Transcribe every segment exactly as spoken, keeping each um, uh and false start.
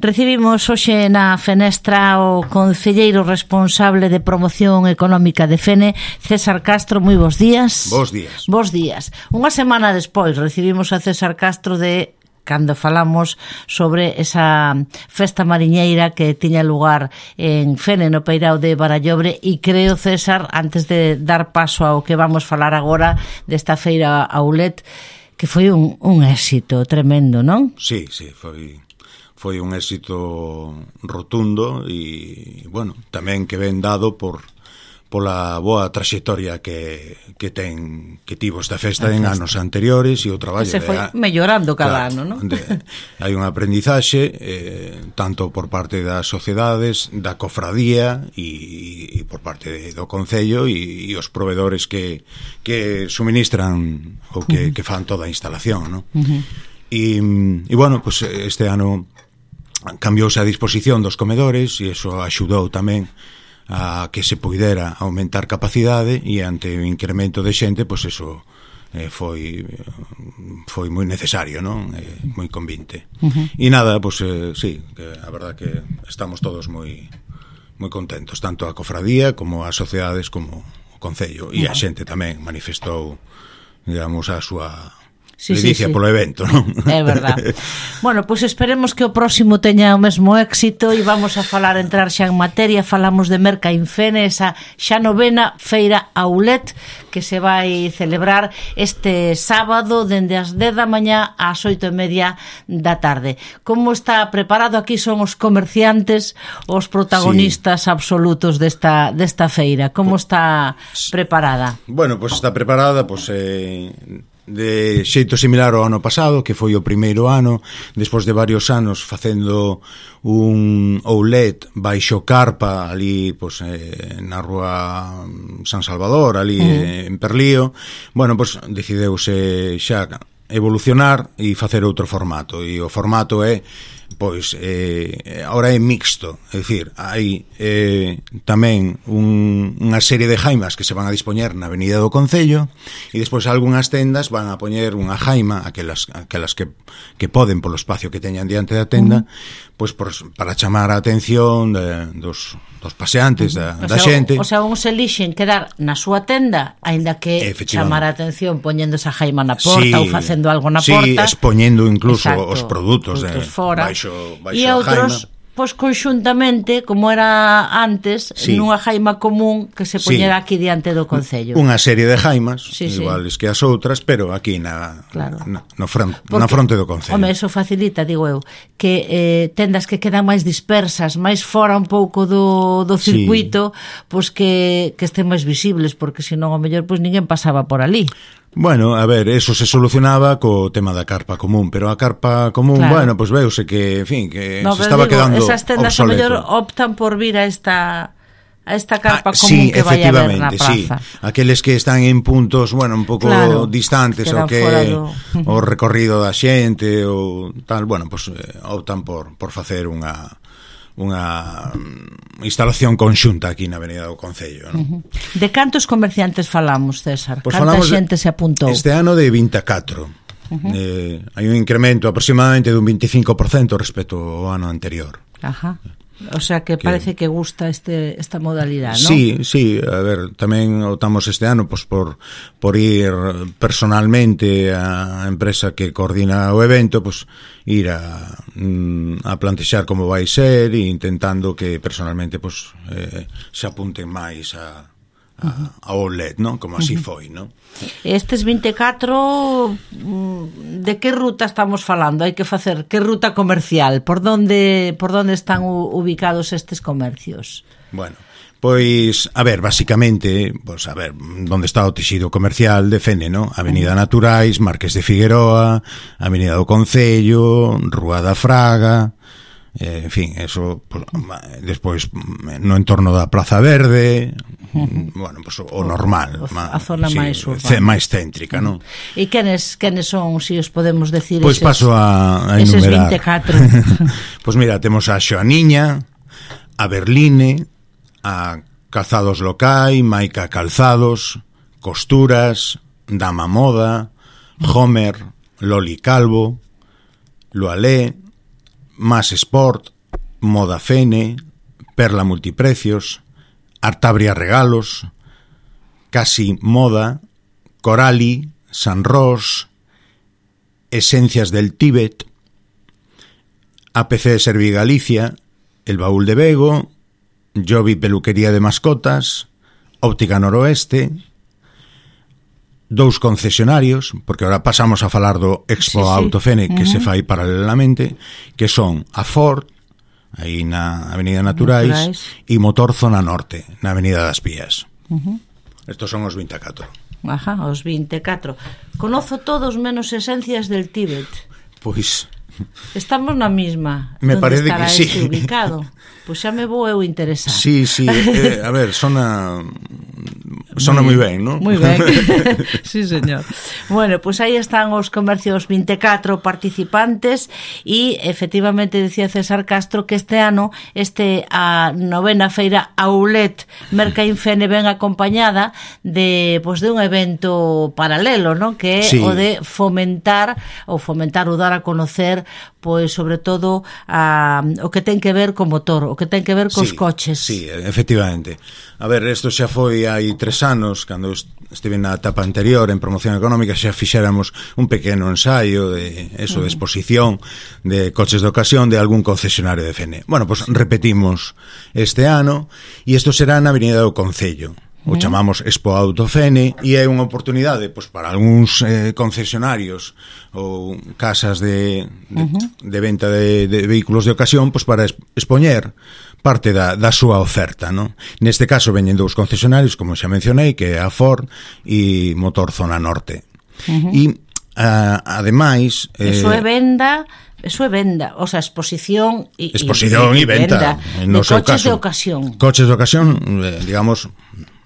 Recibimos hoxe na fenestra o concelleiro responsable de promoción económica de Fene, César Castro. Moi bons días. Bos días. Bos días. Unha semana despois recibimos a César Castro de cando falamos sobre esa festa mariñeira que tiña lugar en Fene, no Peirao de Barallobre, e creo, César, antes de dar paso ao que vamos falar agora desta feira Aulet, que foi un, un éxito tremendo, non? Sí, sí, foi... foi un éxito rotundo e, bueno, tamén que ven dado por pola boa traxectoria que, que ten que tivo esta festa en anos anteriores e o traballo se foi de, mellorando cada claro, ano, non? De, hai un aprendizaxe eh, tanto por parte das sociedades, da cofradía e, e por parte de, do Concello e, e os provedores que, que suministran ou que, uh -huh. que fan toda a instalación, non? Uh -huh. E, e, bueno, pues este ano cambiouse a disposición dos comedores e iso axudou tamén a que se poidera aumentar capacidade e ante o incremento de xente, pois eso eh, foi foi moi necesario, non? Eh, moi convinte. Uh -huh. E nada, pois eh, sí, que a verdad que estamos todos moi moi contentos, tanto a cofradía como as sociedades como o Concello, e uh -huh. a xente tamén manifestou, digamos, a súa Sí, ledicia sí, sí. polo evento, non? É verdade. Bueno, pois pues esperemos que o próximo teña o mesmo éxito e vamos a falar, entrar xa en materia. Falamos de Mercainfene, esa xa novena feira Aulet que se vai celebrar este sábado dende as dez da mañá ás oito e media da tarde. Como está preparado? Aquí son os comerciantes, os protagonistas sí. absolutos desta, desta feira. Como está preparada? Bueno, pois pues está preparada, pois... Pues, eh... de xeito similar ao ano pasado, que foi o primeiro ano, despois de varios anos facendo un outlet baixo carpa ali, pois, eh, na rúa San Salvador, ali uh -huh. en Perlío. Bueno, pois decideuse xa evolucionar e facer outro formato, e o formato é pois eh, ahora é mixto, é dicir, hai eh, tamén un, unha serie de jaimas que se van a dispoñer na Avenida do Concello e despois algunhas tendas van a poñer unha jaima, aquelas, aquelas que, que poden polo espacio que teñan diante da tenda, uh-huh. pois por, para chamar a atención de, dos, dos paseantes, uh-huh. da, da o sea, xente. O sea, uns elixen quedar na súa tenda, aínda que chamar a atención poñendo esa jaima na porta sí, ou facendo algo na sí, porta. Sí, expoñendo incluso exacto, os produtos, produtos de, fora. Baixo, baixo e outros, pois conxuntamente, como era antes, sí. nunha jaima común que se poñera sí. aquí diante do Concello. Unha serie de jaimas, sí, iguales sí. que as outras, pero aquí na, claro. na, no front, Porque, na fronte do Concello. Home, eso facilita, digo eu, que eh, tendas que quedan máis dispersas, máis fora un pouco do, do circuito, sí. pois que, que estén máis visibles, porque senón, ao mellor, pois ninguén pasaba por ali. Bueno, a ver, eso se solucionaba co tema da carpa común, pero a carpa común, claro. bueno, pois veuse que, en fin, que no, se estaba digo, quedando esas tendas obsoleto. a mellor optan por vir a esta a esta carpa ah, común sí, que vai a haber na praza. Sí, aqueles que están en puntos, bueno, un pouco claro, distantes o que do... o recorrido da xente ou tal, bueno, pois pues, eh, optan por por facer unha unha instalación conxunta aquí na Avenida do Concello, non? Uh-huh. De cantos comerciantes falamos, César? Pues Canta xente se apuntou? Este ano de vinte e catro. Uh-huh. eh, hai un incremento aproximadamente dun veinticinco por cento respecto ao ano anterior. Ajá. O sea que parece que, que gusta este esta modalidade, ¿no? Sí, sí, a ver, tamén optamos este ano pues, por, por ir personalmente á empresa que coordina o evento, pues ir a, a plantexar como vai ser e intentando que personalmente pues, eh, se apunten máis a a outlet, non? Como así foi, non? Estes vinte e catro, de que ruta estamos falando? Hai que facer, que ruta comercial? Por donde por donde están ubicados estes comercios? Bueno, pois, a ver, basicamente, pois, a ver, onde está o texido comercial de Fene, non? Avenida Naturais, Marqués de Figueroa, Avenida do Concello, Rúa da Fraga, eh, en fin, eso, pues, despois no entorno da Praza Verde, bueno, pues, o normal, a zona sí, máis urbana, máis céntrica, non? E quenes, quenes son, se si os podemos decir, pois pues paso a, a eses enumerar. vinte e catro. Pois pues mira, temos a Xoaniña, a Berline, a Calzados Locai, Maica Calzados, Costuras, Dama Moda, Homer, Loli Calvo, Loalé, Más Sport, Moda Fene, Perla Multiprecios, Artabria Regalos, Casi Moda, Corali, San Ros, Esencias del Tíbet, A P C Servi Galicia, El Baúl de Bego, Jovi Peluquería de Mascotas, Óptica Noroeste, dous concesionarios, porque ahora pasamos a falar do Expo sí, sí. Autofene que uh-huh. se fai paralelamente, que son a Ford, aí na Avenida Naturais, e Motor Zona Norte, na Avenida das Pías. Uh-huh. Estos son os vinte e catro. Ajá, os vinte e catro. Conozo todos menos Esencias del Tíbet. Pois... Estamos na mesma. Me parece que sí. Este ubicado? Pois xa me vou eu interesar. Sí, sí, eh, a ver, sona sona moi ben, non? Moi ben. Sí, señor. Bueno, pois aí están os comercios vinte e catro participantes e efectivamente decía César Castro que este ano este a novena feira Aulet Mercainfene ven acompañada de pois de un evento paralelo, non? Que é sí. o de fomentar ou fomentar ou dar a conocer pois sobre todo a, o que ten que ver co motor, o que ten que ver cos sí, coches. Sí, efectivamente. A ver, isto xa foi hai tres anos, cando estive na etapa anterior en promoción económica, xa fixéramos un pequeno ensaio de eso, de exposición de coches de ocasión de algún concesionario de Fene. Bueno, pois pues, repetimos este ano e isto será na Avenida do Concello. O chamamos Expo Autofene e é unha oportunidade pois, para algúns eh, concesionarios ou casas de, de, uh-huh. de venta de, de vehículos de ocasión pois, para expoñer parte da, da súa oferta, non? Neste caso veñen dous concesionarios, como xa mencionei, que é a Ford e Motor Zona Norte. Uh-huh. E, a, ademais... Eh, Eso é venda... Eso é venda, o sea, exposición e exposición e venda, venda no de coches caso, de ocasión. Coches de ocasión, eh, digamos,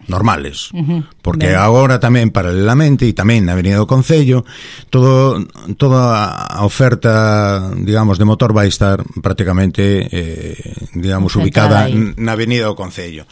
normales, uh-huh. porque ben. Agora tamén paralelamente e tamén na Avenida do Concello, todo toda a oferta, digamos, de motor vai estar prácticamente eh, digamos, ubicada aí. Na Avenida do Concello.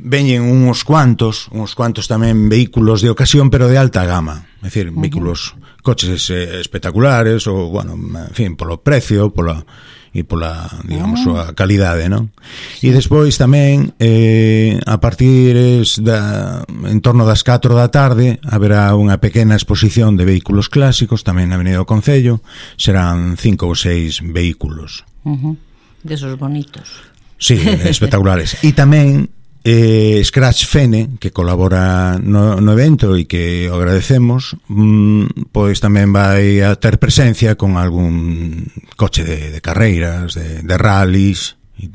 Veñen uns cuantos, uns cuantos tamén vehículos de ocasión, pero de alta gama, é dicir, uh-huh. vehículos, coches eh, espectaculares ou, bueno, en fin, polo precio, pola e pola, digamos, uh-huh. a calidade, non? Sí. E despois tamén eh, a partir da en torno das catro da tarde haberá unha pequena exposición de vehículos clásicos tamén na Avenida do Concello, serán cinco ou seis vehículos. Uh-huh. Desos bonitos. Sí, espectaculares. E tamén Eh, Scratch Fene, que colabora no, no evento e que o agradecemos, mm, pois tamén vai a ter presencia con algún coche de, de carreiras, de, de rallies e,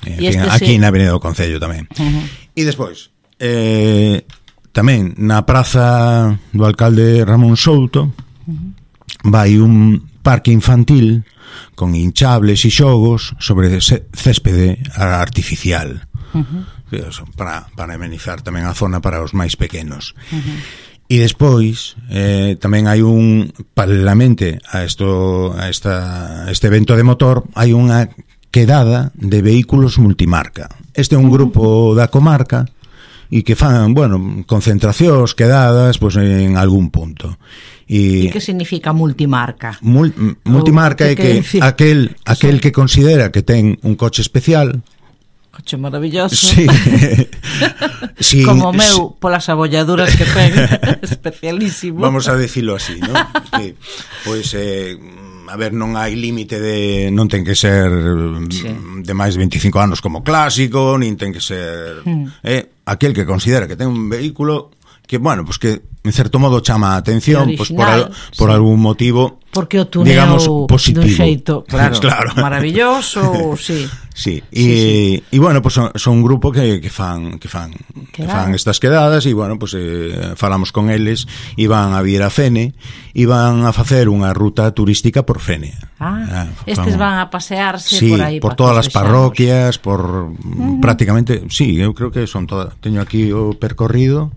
en fin, este aquí sí. Na Avenida do Concello tamén. Uh-huh. E despois eh, tamén na praza do alcalde Ramón Souto uh-huh. vai un parque infantil con hinchables e xogos sobre céspede artificial. Uh-huh. Para, para amenizar tamén a zona para os máis pequenos. Uh-huh. E despois eh, tamén hai un paralelamente a isto a esta este evento de motor hai unha quedada de vehículos multimarca. Este é un grupo da comarca e que fan, bueno, concentracións, quedadas, pois pues, en algún punto. E, e que significa multimarca? Mul, multimarca é que, que aquel aquel que considera que ten un coche especial, coche maravilloso. Sí. Sí, como meu, polas abolladuras que ten, especialísimo. Vamos a decirlo así, ¿no? Que, pois, eh, a ver, non hai límite de... Non ten que ser sí. de máis de veinticinco anos como clásico, nin ten que ser... Hmm. Eh, aquel que considera que ten un vehículo que, bueno, pues que en certo modo chama a atención pues por, al, por sí. algún motivo, porque o tuneo, digamos, positivo. Dun xeito, claro, claro. Maravilloso, sí. Sí, e sí, sí. e bueno, pues son, son un grupo que, que fan que fan que fan estas quedadas e bueno, pues eh, falamos con eles e van a vir a Fene e van a facer unha ruta turística por Fene. Ah, eh, estes van a pasearse sí, por aí por todas as parroquias, por uh-huh. prácticamente, sí, eu creo que son todas, teño aquí o percorrido.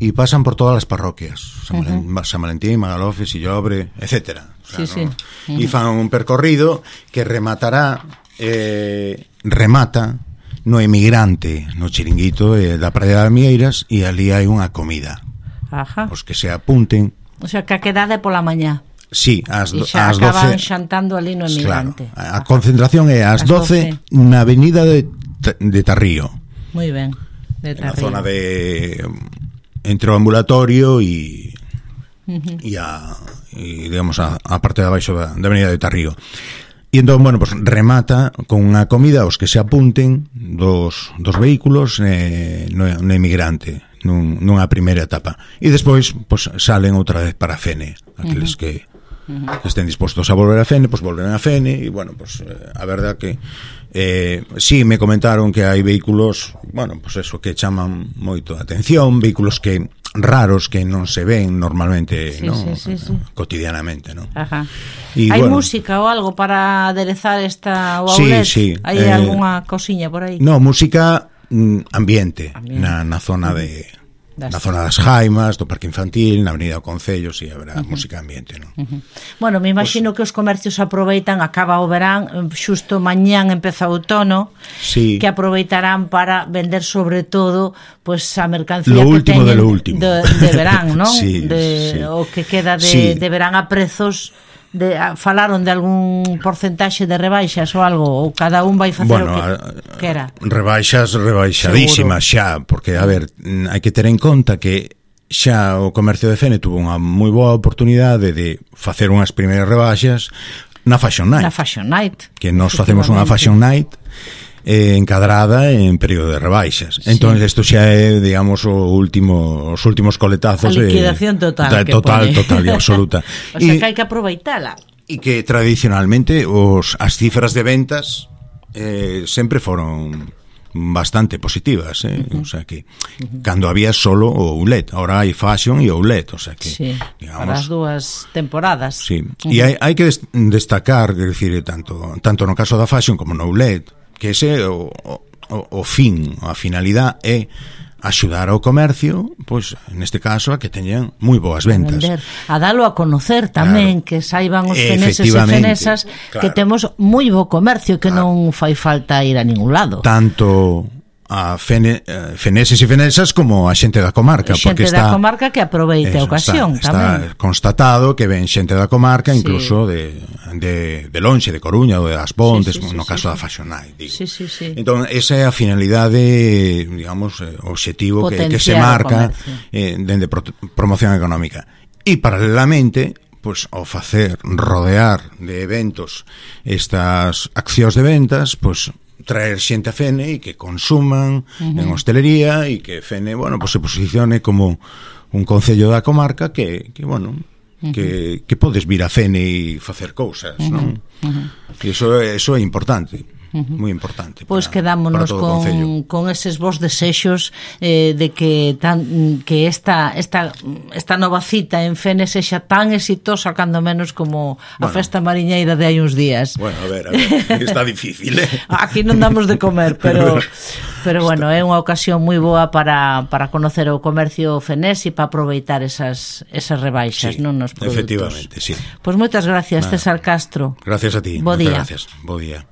E pasan por todas as parroquias, San, uh-huh. San Valentín, Magalofe, Sillobre, etcétera. O sea, sí, ¿no? sí. Uh-huh. E fan un percorrido que rematará, eh, remata no Emigrante, no chiringuito eh, da Praia das Mieiras, e ali hai unha comida. Ajá. Os que se apunten. O sea, que a quedade pola mañá. Sí, ás, e xa ás acaban doce, xantando ali no Emigrante. Claro, a concentración é ás doce na avenida de, de Tarrío. Moi ben, de Tarrío. Na Tarrío. zona de entre o ambulatorio e uh-huh. e a e, digamos a, a parte de abaixo da, da avenida de Tarrío. E entón, bueno, pues remata con unha comida aos que se apunten dos, dos vehículos eh, no, no Emigrante nun, nunha primeira etapa. E despois, pues, salen outra vez para Fene, aqueles uh-huh. que que estén dispostos a volver a Fene, pues volven a Fene e, bueno, pues eh, a verdad que eh, sí, me comentaron que hai vehículos, bueno, pues eso, que chaman moito a atención, vehículos que raros que non se ven normalmente, sí, ¿no? sí, sí, sí. cotidianamente, ¿no? Ajá. Y, hai bueno, música ou algo para aderezar esta o sí, outlet? sí, Hai eh, algunha cosiña por aí? No, música mm, ambiente, ambiente, na, na zona de das... na zona das Jaimas, do Parque Infantil, na Avenida do Concello, si, sí, haberá uh-huh. música ambiente, non? Uh-huh. Bueno, me imagino pues, que os comercios aproveitan, acaba o verán, xusto mañán empeza o outono, sí. que aproveitarán para vender sobre todo pues a mercancía lo que último teñen de lo último. De, de verán, non? sí, de, sí. O que queda de, sí. de verán a prezos. De, a, falaron de algún porcentaxe de rebaixas ou algo, ou cada un vai facer bueno, o que quera? Rebaixas rebaixadísimas xa, porque, a ver, hai que ter en conta que xa o comercio de Fene tuvo unha moi boa oportunidade de facer unhas primeiras rebaixas na Fashion Night. Na Fashion Night. Que nos facemos unha Fashion Night eh, encadrada en período de rebaixas. Sí. Entón, isto xa é, digamos, o último, os últimos coletazos. A liquidación total. De, total, pone. total e absoluta. O sea, y, que hai que aproveitala. E que tradicionalmente os, as cifras de ventas eh, sempre foron bastante positivas, eh? Uh-huh. O sea que uh-huh. cando había solo o outlet, ahora hai fashion e outlet, o sea que sí, digamos, para as dúas temporadas. Sí. Uh-huh. E hai, hai que destacar, quer decir, tanto tanto no caso da fashion como no outlet, que ese o, o, o fin, a finalidade é axudar ao comercio, pois neste caso a que teñan moi boas ventas. A, a dalo a conocer tamén, claro. Que saiban os feneses e fenesas, claro. Que temos moi bo comercio, que claro. Non fai falta ir a ningún lado. Tanto a fene, uh, feneses e fenesas como a xente da comarca, xente porque está da comarca que aproveite a ocasión está, tamén. Está constatado que ven xente da comarca, sí. Incluso de, de, de Lonxe, de Coruña ou de As Pontes, sí, sí, sí, no caso sí, da Fashion Night, digo. Sí, sí, sí. Entón, esa é a finalidade, digamos, o obxectivo que, que se marca eh, dende pro, promoción económica. E paralelamente, pois, ao facer rodear de eventos estas accións de ventas, pois traer xente a Fene e que consuman uh-huh. en hostelería e que Fene, bueno, pues se posicione como un concello da comarca que, que bueno, uh-huh. que, que podes vir a Fene e facer cousas, uh-huh. non? Uh-huh. E iso, iso é importante. Uh-huh. Moi importante. Pois pues quedámonos con, con eses vos desexos eh, de que tan, que esta, esta, esta nova cita en Fene sexa tan exitosa cando menos como a bueno, festa mariñeira de hai uns días. Bueno, a ver, a ver, está difícil, eh? Aquí non damos de comer, pero pero bueno, é unha ocasión moi boa para, para conocer o comercio fenés e para aproveitar esas, esas rebaixas, sí, non, nos produtos. Efectivamente, sí. Pois pues moitas gracias, Nada. César Castro. Gracias a ti. Bo día. Gracias. Bo día.